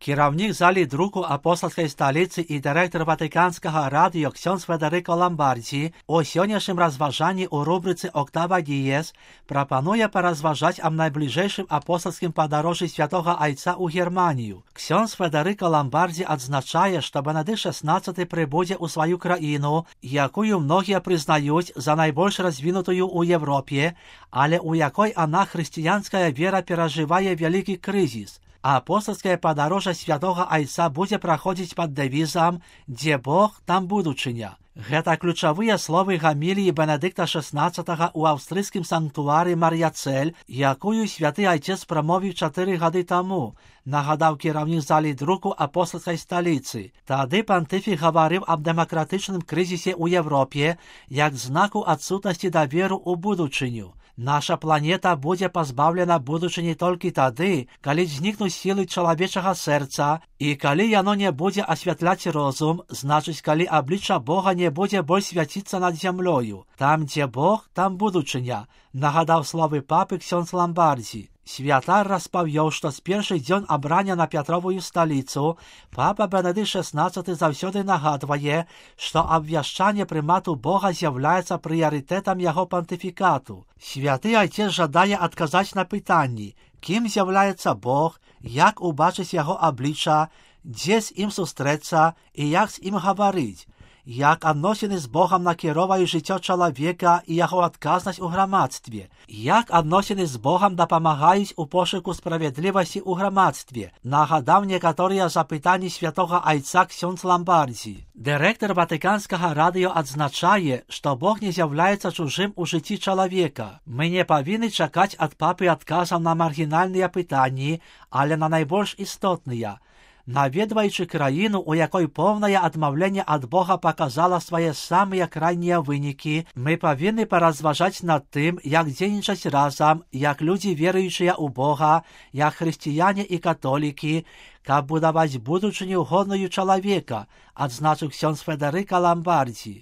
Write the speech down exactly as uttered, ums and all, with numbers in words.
Кіраўнік залі друку апостольскай сталіцы і дырэктар ватыканскага радыё ксёндз Федэрыка Ламбардзі у сённяшнім разважанні ў рубрыцы «Октава Діез» прапануе паразважаць аб найбліжэйшым апостольскім падарожжы святога Айца ў Германію. Ксёндз Федэрыка Ламбардзі адзначае, што Бенедыкт шаснаццаты прыбудзе ў сваю краіну, якую многія прызнаюць за найбольш развінутую ў Европе, але у якой она хрысціянская вера перажывае вялікі крызіс. Апостольскае падарожжа святога Айца будзе праходзіць пад дэвізам «Дзе Бог, там будучыня». Гэта ключавыя словы гаміліі Бенедыкта шаснаццатага ў аўстрыйскім санктуары Мар'яцэль, якую святы Айцец прамовіў чатыры гады таму, нагадаў кіраўнік залі друку апостольскай сталіцы. Тады пантыфік гаварыў аб дэмакратычным крызісе ў Европе як знаку адсутнасці даверу ў будучыню. Наша планета будзе пазбаўлена будучыні толькі тады, калі знікнуць сілы чалавечага сэрца, і калі яно не будзе асвятляць розум, значыць, калі аблічча Бога не будзе больш свяціцца над зямлёю. Там, дзе Бог, там будучыня, нагадаў словы папы ксёндз Ламбардзі. Святар распавёў, што з першы дзён абрання на Пятровую сталіцу папа Бенедыкт шаснаццаты заўсёды нагадвае, што абвяшчанне прымату Бога з'яўляецца прыярытэтам яго пантыфікату. Святы Айцец жадае адказаць на пытанні, кім з'яўляецца Бог, як убачыць яго аблічча, дзе з ім сустрэцца і як з ім гаварыць, як адносіны з Богам накіроўваюць жыццё чалавека і яго адказнасць у грамадстве, як адносіны з Богам дапамагаюць у пошуку справядлівасці ў грамадстве, нагадаў некаторыя запытанні святога Айца ксёндз Ламбардзі. Дырэктар ватыканскага радыё адзначае, што Бог не з'яўляецца чужым у жыцці чалавека. Мы не павінны чакаць ад папы адказаў на маргінальныя пытанні, але на найбольш істотныя. Наведваючы краіну, у якой поўнае адмаўленне ад Бога паказала свае самыя крайнія вынікі, мы павінны паразважаць над тым, як дзейнічаць разам, як людзі веруючыя ў Бога, як хрысціяне і католікі, каб будаваць будучыню годную чалавека, адзначыў ксёндз Федэрыка Ламбардзі.